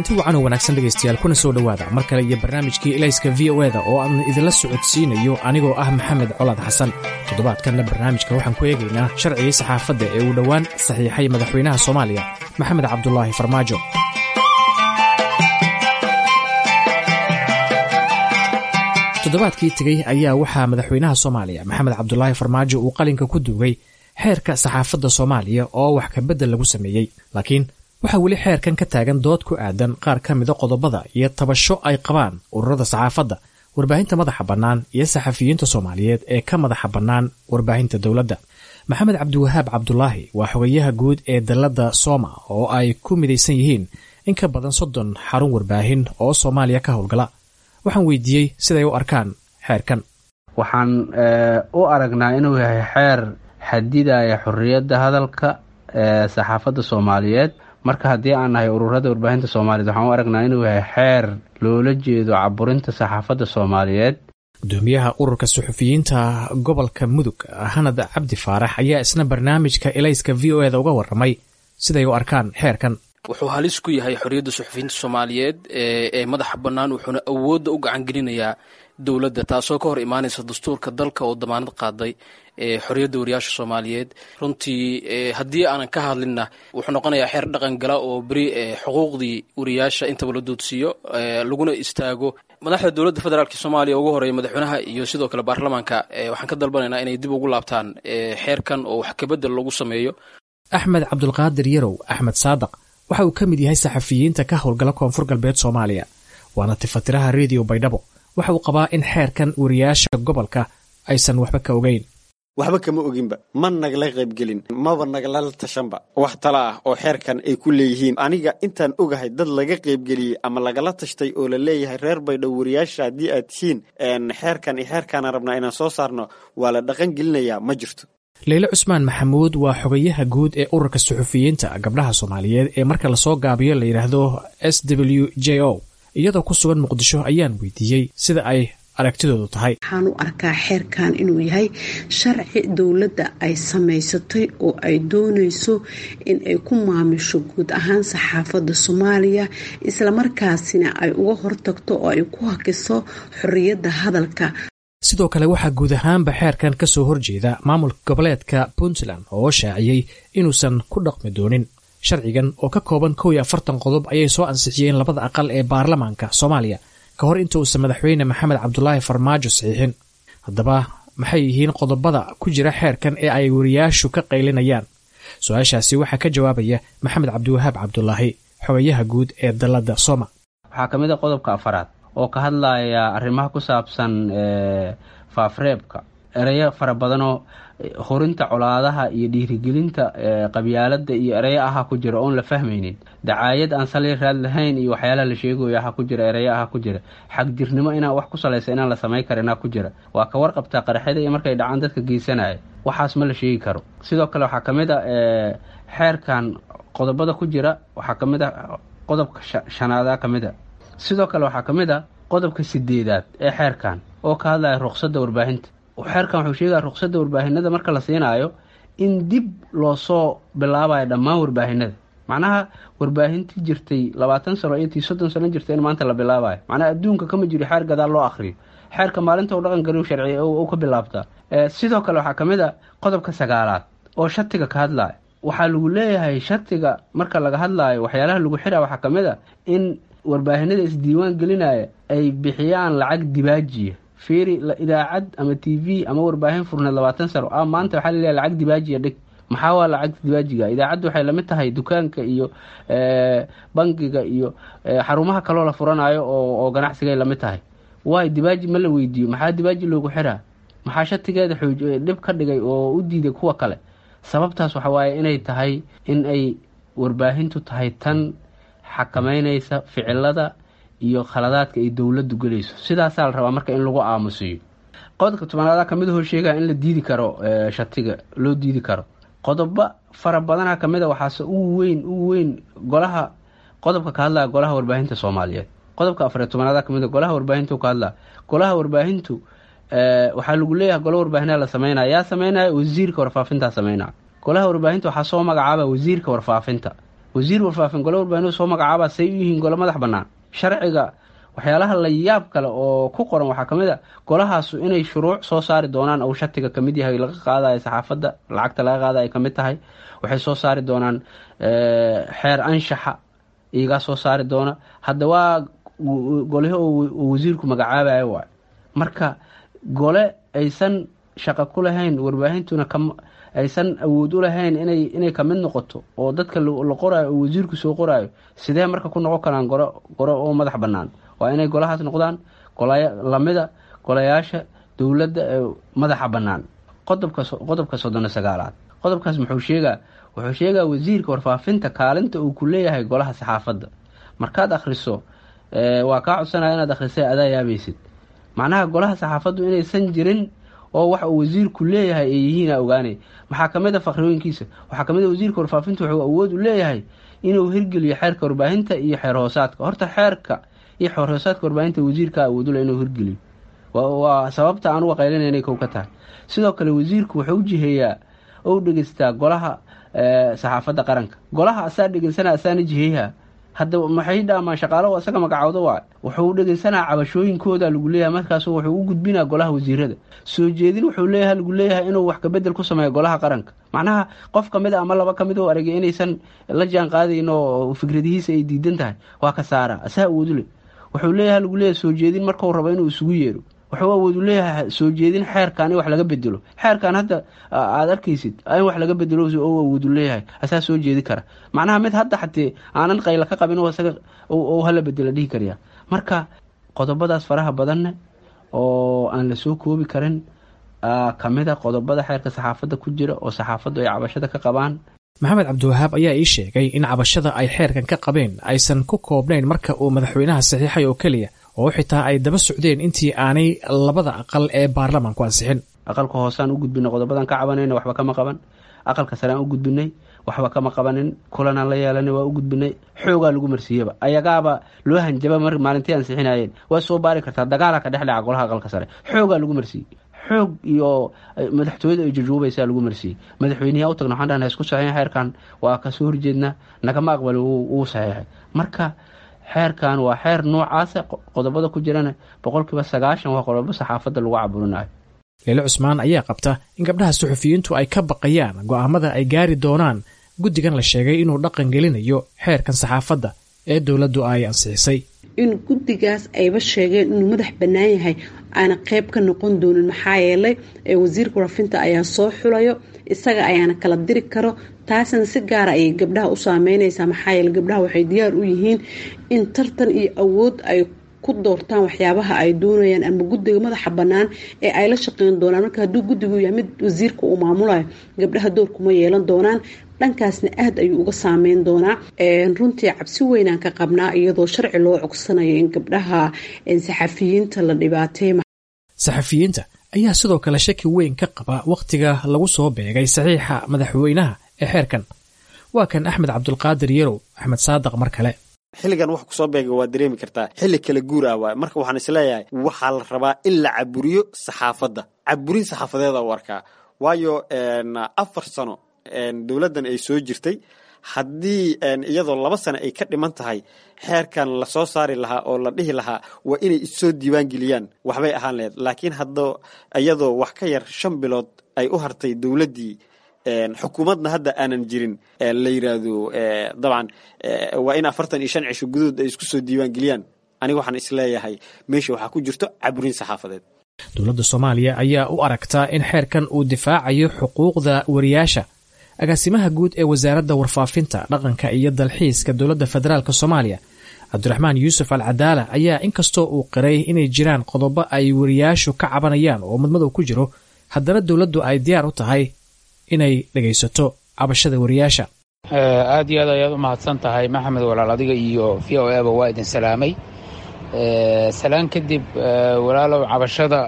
Kulanti wacan oo wanaagsan, dhegaystayaal, kuna soo dhowaada mar kale iyo barnaamijkii Ilayska VOA-da oo aan idinla socodsiinayo anigoo ah Maxamed Colaad Xasan. Toddobaadkanna barnaamijka waxaan ku eegaynaa sharcigii saxaafadda ee uu dhowaan saxiixay madaxweynaha Soomaaliya, Maxamed Cabdulaahi Farmaajo. Toddobaadkii tegey ayaa waxaa madaxweynaha Soomaaliya, Maxamed Cabdulaahi Farmaajo, uu qalinka ku duugay xeerka saxaafadda Soomaaliya oo wax kabedel lagu sameeyey, laakiin waxaa weli xeerkan ka taagan dood ku aadan qaar ka mida qodobada iyo tabasho ay qabaan ururada saxaafadda, warbaahinta madaxa bannaan iyo saxafiyiinta Soomaaliyeed ee ka madaxa bannaan warbaahinta dowladda. Maxamed Cabdiwahaab Cabdulaahi waa xogayaha guud ee dalladda Sooma oo ay ku midaysan yihiin in ka badan 30 xarun warbaahin oo Soomaaliya ka howlgala. Waxaan weydiiyey siday u arkaan xeerkan. Waxaan u aragnaa inuu yahay xeer xadidaya xorriyadda hadalka ee saxaafadda Soomaaliyeed. Marka haddii aan nahay ururada warbaahinta Soomaaliyeed, waxaan u aragnaa inuu yahay xeer loola jeedo caburinta saxaafadda Soomaaliyeed. Gudoomiyaha ururka suxufiyiinta gobolka Mudug, Hanad Cabdi Faarax, ayaa isna barnaamijka Ilayska VOA-da uga waramay siday u arkaan xeerkan. Wuxuu halis ku yahay xorriyadda suxufiyiinta Soomaaliyeed ee madaxa bannaan, wuxuuna awoodda u gacan gelinayaa dowladda, taasoo ka hor imaanaysa dastuurka dalka oo damaanad qaaday xorriyadda wariyaasha Soomaaliyeed. Runtii, haddii aanan ka hadlinna, wuxuu noqonayaa xeer dhaqan gala oo beri xuquuqdii wariyaasha intaba la doodsiiyo laguna istaago. Madaxda dowladda federaalka Soomaaliya, ugu horeeya madaxweynaha iyo sidoo kale baarlamaanka, waxaan ka dalbanaynaa inay dib ugu laabtaan xeerkan oo wax kabedel lagu sameeyo. Axmed Cabdulqaadir Yarow, Axmed Saadaq, waxa uu ka mid yahay saxafiyiinta ka howlgala Koonfur Galbeed Soomaaliya, waana tifatiraha Rediyo Baydhabo. Waxa uu qabaa in xeerkan wariyaasha gobolka aysan waxba ka ogeyn. Waxba kama oginba, ma nagala qaybgelin, maba nagala tashanba wax tala ah oo xeerkan ay ku leeyihiin. Aniga intaan ogahay, dad laga qaybgeliyey ama lagala tashtay oo la leeyahay reer Baydhabo wariyaasha haddii aad tihiin, xeerkan iyo xeerkaanaan rabnaa inaan soo saarno, waa la dhaqan gelinayaa, ma jirto. Leyle Cusmaan Maxamuud waa xogayaha guud ee ururka suxufiyiinta gabdhaha Soomaaliyeed ee marka lasoo gaabiyo la yidhaahdo SWJO. Iyadoo ku sugan Muqdisho ayaan weydiiyey sida ay aragtidoodu tahay. Waxaan u arkaa xeerkan inuu yahay sharci dowladda ay samaysatay oo ay doonayso in ay ku maamusho guud ahaan saxaafadda Soomaaliya, islamarkaasina ay uga hortagto oo ay ku hakiso xorriyadda hadalka. Sidoo kale waxaa guud ahaanba xeerkan ka soo horjeeda maamulka goboleedka Puntland oo shaaciyey inuusan ku dhaqmi doonin sharcigan oo ka kooban 41 qodob ayay soo ansixiyeen labada aqal ee baarlamaanka Soomaaliya ka hor inta uusan madaxweyne Maxamed Cabdulaahi Farmaajo saxiixin. Haddaba, maxay yihiin qodobada ku jira xeerkan ee ay wariyaashu ka qaylinayaan? Su-aashaasi waxaa ka jawaabaya Maxamed Cabdiwahaab Cabdulaahi, xogayaha guud ee dalladda Soma. Waxaa ka mid a qodobka afaraad oo ka hadlaya arrimaha ku saabsan faafreebka, ereyo fara badanoo hurinta colaadaha iyo dhiirigelinta qabyaaladda iyo ereyo aha ku jira oon la fahmaynin, dacaayad aan sali raad lahayn iyo waxyaalaha la sheegayo aha ku jira, ereyo aha ku jira, xagjirnimo inaan wax ku salaysa inaan la samayn karinaa ku jira. Waa ka warqabtaa qaraxyada iyo markay dhacaan dadka geysanaya, waxaas ma la sheegi karo. Sidoo kale waxaa ka mid a xeerkan qodobada ku jira, waxaa ka mid a qodobka shanaada ka mid a. Sidoo kale waxaa ka mid a qodobka sideedaad ee xeerkan oo ka hadlaya ruqsadda warbaahinta. Xeerkan wuxuu sheegaya ruqsadda warbaahinada marka la siinaayo in dib loosoo bilaabayo dhammaan warbaahinada, macnaha warbaahintii jirtay 20 sano iyo tii 30 sano jirtay in maanta la bilaabayo. Macnaha adduunka kama jiro xeer gadaal loo akhriyo. Xeerka maalinta u dhaqan galiw sharci u ka bilaabtaa. Sidoo kale waxaa ka mid a qodobka sagaalaad oo shatiga ka hadlaya. Waxaa lagu leeyahay shatiga marka laga hadlaayo, waxyaalaha lagu xira waxaa ka mid a in warbaahinada isdiiwaan gelinaya ay bixiyaan lacag dibaajiya. Fiiri, idaacad ama TV ama warbaahin furneed 20 sano ah, maanta waxaa laleeyahay lacag dibaajiya dhig. Maxaa waa lacag dibaajiga? Idaacaddu waxay lamid tahay dukaanka iyo bangiga iyo xarumaha kaloo la furanayo oo ganacsigay lamid tahay. Waay dibaaji ma la weydiiyo? Maxaa dibaaji loogu xiraa? Maxaa shatigeeda xooj dhib ka dhigay oo u diiday kuwa kale? Sababtaas waxa waaye inay tahay in ay warbaahintu tahay tan xakameynaysa ficilada iyo khaladaadka ay dowladdu gelayso. Sidaasaa la rabaa marka in lagu aamusiyo. Qodobka tobanaada kamid ahoo sheegaya in la diidi karo, shatiga loo diidi karo. Qodobo fara badana kamid a, waxaase ugu weyn, ugu weyn golaha, qodobka ka hadlaya golaha warbaahinta Soomaaliyeed. Qodobka 14aad kamid a golaha warbaahintu ka hadlaya. Golaha warbaahintu waxaa lagu leeyahay golo warbaahinaa la sameynaya. Yaa sameynaya? Wasiirka warfaafintaa sameynaya. Golaha warbaahinta waxaa soo magacaaba wasiirka warfaafinta. Wasiir warfaafin gole warbaahineed soo magacaabaa, say u yihiin gole madax bannaan? Sharciga waxyaalaha la yaab kale oo ku qoran waxaa kamid a golahaasu inay shuruuc soo saari doonaan ou shatiga kamid yahay laga qaadayo saxaafadda, lacagta laga qaada ay kamid tahay. Waxay soo saari doonaan xeer anshaxa, iyagaa soo saari doona. Hadda waa golihi oo wasiirku magacaabayo waay. Marka gole aysan shaqo ku lahayn warbaahintuna aysan awood u lahayn inay kamid noqoto oo dadka la qoraayo oo wasiirku soo qoraayo, sidee marka ku noqon karaan goro oo madax bannaan? Waa inay golahaas noqdaan lamida golayaasha dowladda ee madaxa bannaan. Qodobka 39aad, qodobkaas muxuu sheegaa? Wuxuu sheegaa wasiirka warfaafinta kaalinta uu ku leeyahay golaha saxaafadda. Markaad akhriso, waa kaa codsanaya inaad akhrisay, adaa yaabaysid. Macnaha golaha saxaafaddu inaysan jirin oo waxa uu wasiirku leeyahay ay yihiina ogaanay. Maxaa kamid a fakrooyinkiisa? Waxaa kamid a wasiirka warfaafinta wuxuu awood u leeyahay inuu hirgeliyo xeerka warbaahinta iyo xeer hoosaadka. Horta xeerka iyo xeer hoosaadka warbaahinta wasiirka awood u leh inuu hirgeliyo, waa sababta aan uga qaylinay inay kow ka tahay. Sidoo kale wasiirku wuxuu u jiheeyaa oo u dhegeystaa golaha saxaafadda qaranka. Golaha asaa dhegeysana, asaana jiheeyaha. Hadda maxay dhaamaan shaqaalo isaga magacooda waay? Wuxuu dhegeysanaa cabashooyinkooda lagu leeyahay, markaasu wuxuu u gudbinaa golaha wasiirada. Soo jeedin wuxuu leeyahay lagu leeyahay inuu wax kabedel ku sameeyo golaha qaranka. Macnaha qof kamid a ama laba kamid oo aragay inaysan la jaan qaadayn oo fikradihiisa ay diidan tahay, waa ka saara, asaa awoodu leh. Wuxuu leeyahay lagu leeyahay soo jeedin markuu rabo inuu isugu yeero. Wuxuu awoodu leeyahay soo jeedin xeerkan in wax laga bedelo. Xeerkan hadda aada arkaysid in wax laga bedelo oo awoodu leeyahay, asaa soo jeedi kara. Macnaha mid hadda xatee aanan qayla ka qabin isaga oo hala bedelo dhihi karaya. Marka qodobadaas faraha badanne oo aan la soo koobi karin kamid a qodobada xeerka saxaafadda ku jira oo saxaafaddu ay cabashada ka qabaan. Maxamed Cabdiwahaab ayaa ii sheegay in cabashada ay xeerkan ka qabeen aysan ku koobnayn marka uu madaxweynaha saxiixay oo keliya, oo xitaa ay daba socdeen intii aanay labada aqal ee baarlamaanku ansixin. Aqalka hoosaan u gudbinay qodobadan ka cabanayna, waxba kama qaban. Aqalka sare aan u gudbinay, waxba kama qabanin. Kulanaan la yeelanay, waa u gudbinay. Xoogaa lagu marsiiyaba, ayagaaba loo hanjaba mar maalintii ansixinayeen. Waa soo baari kartaa, dagaala ka dhex dhaca golaha aqalka sare. Xoogaa lagu marsiiyey, xoog iyo madaxtooyada ay jujuubaysaa lagu marsiiyey. Madaxweyneha u tagna, waxaan dhahnay isku saxiixin xeerkan, waa kasoo horjeedna, nagama aqbali, wuu saxiixay. Marka xeerkan waa xeer noocaasa, qodobada ku jirana 90% waa qodobo saxaafadda lagu caburinayo. Leyle Cusmaan ayaa qabta in gabdhaha suxufiyiintu ay ka baqayaan go'aamada ay gaari doonaan guddigan la sheegay inuu dhaqan gelinayo xeerkan saxaafadda ee dowladdu ay ansixisay. In guddigaas ayba sheegeen inuu madax bannaan yahay aana qeyb ka noqon doonin, maxaa yeelay wasiirka warfinta ayaa soo xulayo, isaga ayaana kala diri karo. Taasna si gaara ayay gabdhaha u saameyneysaa, maxaa yeele gabdhaha waxay diyaar u yihiin in tartan iyo awood ay ku doortaan waxyaabaha ay doonayaan ama guddiga madaxa bannaan ee ay la shaqeyn doonaan. Marka hadduu guddigu yahay mid wasiirka uu maamulayo, gabdhaha doorkuma yeelan doonaan, dhankaasna aada ayuu uga saameyn doonaa. Runtii cabsi weynaan ka qabnaa iyadoo sharci loo cogsanayo in gabdhaha saxafiyiinta la dhibaateey. Saxafiyiinta ayaa sidoo kale shaki weyn ka qaba wakhtiga lagu soo beegay saxiixa madaxweynaha ee xeerkan. Waa kan Axmed Cabdulqaadir Yarow, Axmed Saadaq, mar kale. Xilligan wax kusoo beega waa dareemi kartaa, xilli kala guur ah waay. Marka waxaan isleeyahay waxaa la rabaa in la caburiyo saxaafadda, caburin saxaafadeeda u arkaa. Waayo 4 sano dowladdan ay soo jirtay, haddii iyadoo 2 sano ay ka dhiman tahay xeerkan lasoo saari lahaa oo la dhihi lahaa waa inay issoo diiwaan geliyaan, waxbay ahaan lahayd. Laakiin hadda iyadoo wax ka yar 5 bilood ay u hartay dowladdii, xukuumadna hadda aanan jirin, la yiraahdo dabcan waa in 45 cisho gudahood ay isku soo diiwaan geliyaan, aniga waxaan isleeyahay meesha waxaa ku jirto caburin saxaafadeed. Dowladda Soomaaliya ayaa u aragtaa in xeerkan uu difaacayo xuquuqda wariyaasha. Agaasimaha guud ee wasaaradda warfaafinta, dhaqanka iyo dalxiiska dowladda federaalk Soomaaliya, Cabdiraxmaan Yuusuf Al Cadaala, ayaa inkastoo uu qiray inay jiraan qodobo ay wariyaashu ka cabanayaan oo madmadow ku jiro, haddana dowladdu ay diyaar u tahay inay dhegaysato cabashada wariyaasha. Aad iyo aad ayaad u mahadsan tahay Maxamed walaal, adiga iyo VOA ba waa idin salaamay. Salaan kadib walaalow, cabashada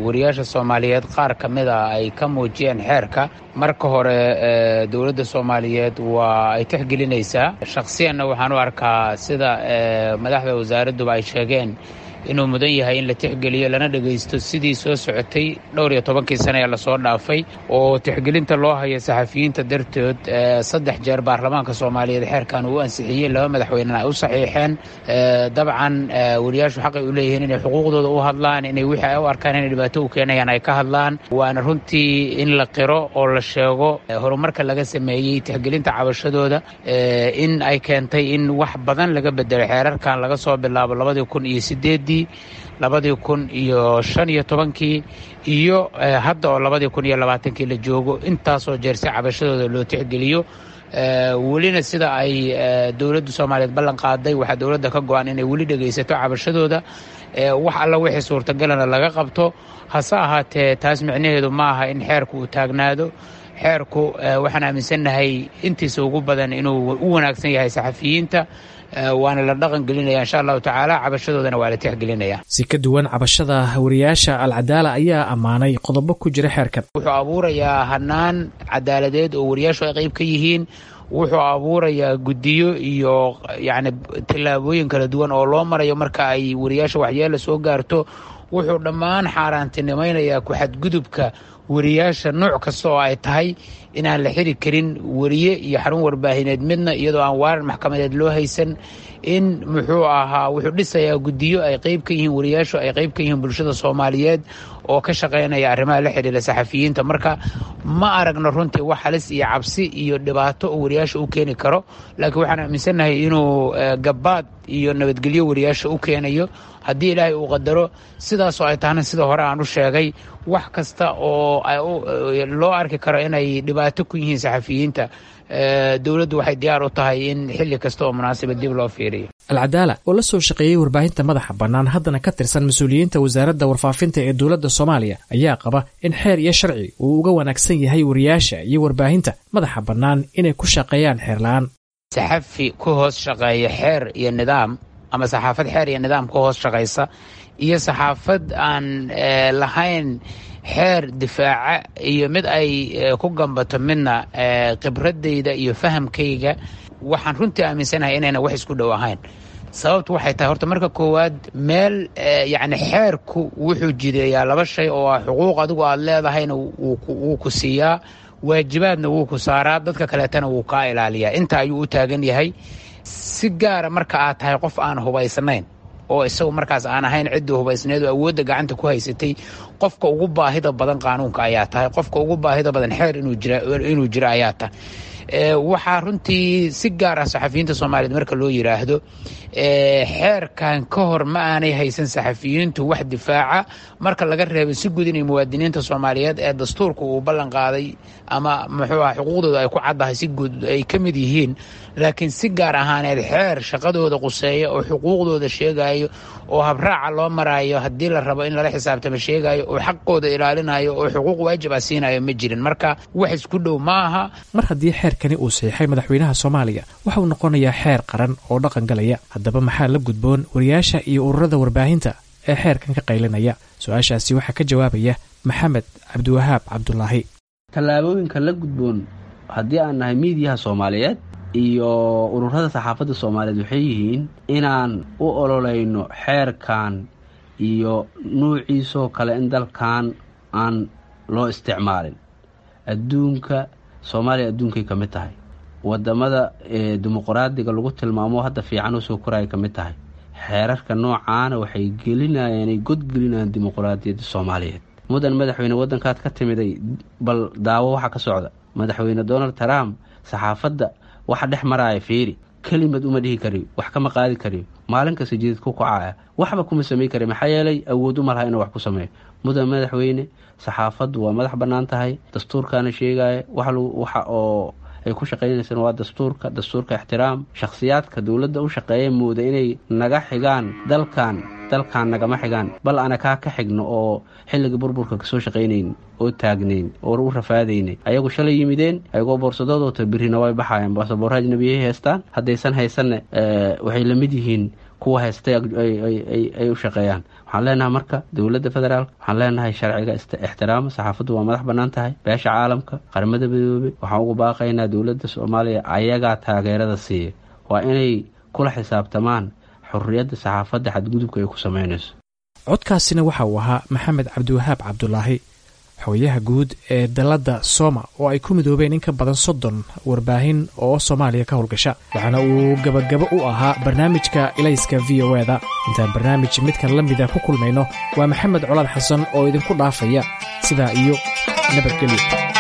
wariyaasha Soomaaliyeed qaar ka mid a ay ka muujiyeen xeerka, marka hore dowladda Soomaaliyeed waa ay tixgelinaysaa. Shakhsiyanna waxaan u arkaa sida madaxda wasaaradduba ay sheegeen inuu mudan yahay in la tixgeliyo lana dhegaysto sidii soo socotay dhowr iyo tobankii sane ee lasoo dhaafay oo tixgelinta loo hayo saxafiyiinta dartood. 3 jeer baarlamaanka Soomaaliyeed xeerkan uu ansixiyey, 2 madaxweynena ay u saxiixeen. Dabcan wariyaashu xaqay u leeyihiin inay xuquuqdooda u hadlaan, inay wixii ay u arkaan inay dhibaato u keenayaan ay ka hadlaan. Waana runtii in la qiro oo la sheego horumarka laga sameeyey tixgelinta cabashadooda in ay keentay in wax badan laga bedelo xeerarkan laga soo bilaabo 2008-dii, 2015-kii iyo hadda oo 2020-kii la joogo, intaasoo jeer si cabashadooda loo tixgeliyo. Welina sida ay dowladda Soomaaliyeed ballan qaaday, waxaa dowladda ka go-an inay weli dhegaysato cabashadooda, wax alla wixii suurtagalana laga qabto. Hase ahaatee, taas micnaheedu ma aha in xeerku uu taagnaado. Xeerku waxaan aaminsannahay intiisa ugu badan inuu u wanaagsan yahay saxafiyiinta, waana la dhaqan gelinaya insha Allahu tacaala, cabashadoodana waa la tixgelinaya. Si ka duwan cabashada wariyaasha, Alcadaala ayaa ammaanay qodobo ku jira xeerkan. Wuxuu abuurayaa hanaan cadaaladeed oo wariyaashu ay qayb ka yihiin. Wuxuu abuurayaa guddiyo iyo yacni tallaabooyin kala duwan oo loo marayo marka ay wariyaasha waxyeela soo gaarto. Wuxuu dhammaan xaaraantinimaynayaa ku-xadgudubka wariyaasha nooc kasta oo ay tahay, inaan la xiri karin wariye iyo xarun warbaahineed midna iyadoo aan waaran maxkamadeed loo haysan. In muxuu ahaa, wuxuu dhisayaa guddiyo ay qayb ka yihiin wariyaashu, ay qayb ka yihiin bulshada Soomaaliyeed oo ka shaqaynaya arrimaha la xidhiira saxafiyiinta. Marka ma aragno runtii wax halis iyo cabsi iyo dhibaato uu wariyaasha u keeni karo, laakiin waxaan aaminsannahay inuu gabaad iyo nabadgelyo wariyaasha u keenayo haddii Ilaahay uu qadaro. Sidaasoo ay tahna, sida hore aan u sheegay, wax kasta oo loo arki karo inay dhibaato ku yihiin saxafiyiinta, dowladdu waxay diyaar u tahay in xilli kasta oo munaasaba dib loo fiiriyo. Alcadaala oo la soo shaqeeyey warbaahinta madaxa bannaan, haddana ka tirsan mas-uuliyiinta wasaaradda warfaafinta ee dowladda Soomaaliya, ayaa qaba in xeer iyo sharci uu uga wanaagsan yahay wariyaasha iyo warbaahinta madaxa bannaan inay ku shaqeeyaan xeer la-aan. Saxafi ku hoos shaqeeya xeer iyo nidaam ama saxaafad xeer iyo nidaam ku hoos shaqaysa iyo saxaafad aan lahayn xeer difaaca iyo mid ay ku gambato midna, khibradayda iyo fahamkayga waxaan runtii aaminsanahay inayna wax isku dhow ahayn. Sababtu waxay tahay, horta marka koowaad, meel yacni xeerku wuxuu jideeyaa laba shay oo ah xuquuq adigu aada leedahayna wuu ku siiyaa, waajibaadna wuu ku saaraa, dadka kaleetana wuu kaa ilaaliyaa. Inta ayuu u taagan yahay. Si gaara marka aad tahay qof aan hubaysnayn oo isagu markaas aan ahayn ciddii hubaysneed oo awoodda gacanta ku haysatay, qofka ugu baahida badan qaanuunka ayaa tahay, qofka ugu baahida badan xeer inuu jiro ayaa tahay. Waxaa runtii si gaar ah saxafiyiinta Soomaaliyeed marka loo yiraahdo, xeerkan ka hor ma aanay haysan saxafiyiintu wax difaaca, marka laga reebo si guud inay muwaadiniinta Soomaaliyeed ee dastuurka uu ballan qaaday ama muxuu aha xuquuqdooda ay ku caddahay si guud ay ka mid yihiin. Laakiin si gaar ahaaneed xeer shaqadooda quseeya oo xuquuqdooda sheegayo oo habraaca loo maraayo haddii la rabo in lala xisaabtamo sheegayo oo xaqooda ilaalinayo oo xuquuq waajib ah siinayo ma jirin. Marka wax isku dhow ma aha. Mar haddii xeerkani uu saxiixay madaxweynaha Soomaaliya, waxauu noqonayaa xeer qaran oo dhaqan galaya. Haddaba maxaa la gudboon wariyaasha iyo ururada warbaahinta ee xeerkan ka qaylinaya? Su-aashaasi waxaa ka jawaabaya Maxamed Cabdiwahaab Cabdulaahi. Tallaabooyinka la gudboon haddii aan nahay miidiyaha Soomaaliyeed iyo ururada saxaafadda Soomaaliyeed waxay yihiin inaan u ololeyno xeerkan iyo nuuciisoo kale in dalkan aan loo isticmaalin. Adduunka, Soomaaliya adduunkay ka mid tahay, wadamada dimuqraadiga lagu tilmaamo hadda fiican usoo koraya ka mid tahay. Xeerarka noocaana waxay gelinayaan, ay godgelinayaan dimuqraadiyadda Soomaaliyeed. Mudan madaxweyne, waddankaad ka timiday bal daawo waxa ka socda. Madaxweyne Donald Trump saxaafadda waxa dhex maraaya fiiri, kelimad uma dhihi kariyo, wax kama qaadi kariyo, maalin kasta jidid ku kacaya, waxba kuma samey kari, maxaa yeelay awood uma laha inuu wax ku sameeyo. Mudan madaxweyne, saxaafaddu waa madax bannaan tahay, dastuurkaana sheegaya waxa oo ay ku shaqaynaysaan waa dastuurka. Dastuurka ixtiraam. Shakhsiyaadka dowladda u shaqeeya mooda inay naga xigaan dalkan, dalkan nagama xigaan, bal ana kaa ka xigno oo xilligii burburka kasoo shaqaynayn oo taagnayn oo u rafaadaynay. Ayagu shalay yimideen ayagoo boorsadoodota, birina way baxayaan. Baasaboorra ajnabiyay haystaan, haddaysan haysanna waxay la mid yihiin kuwa haystay ay u shaqeeyaan. Waxaan leenahay marka dowladda federaalk, waxaan leenahay sharciga ixtiraama, saxaafaddu waa madax bannaan tahay. Beesha caalamka, Qaramada Midoobey, waxaan ugu baaqaynaa dowladda Soomaaliya ayagaa taageerada siiya, waa inay kula xisaabtamaan. Xorriyadda saxaafadda xadgudubka ay ku sameynayso. Codkaasina waxa uu ahaa Maxamed Cabdiwahaab Cabdulaahi, xogayaha guud ee dalladda Soma oo ay ku midoobeen in ka badan 30 warbaahin oo Soomaaliya ka howlgasha, waxaana uu gabagabo u ahaa barnaamijka Ilayska VOA-da. Intaan barnaamij midkan la mida ku kulmayno, waa Maxamed Colaad Xasan oo idinku dhaafaya sidaa iyo nabadgelyo.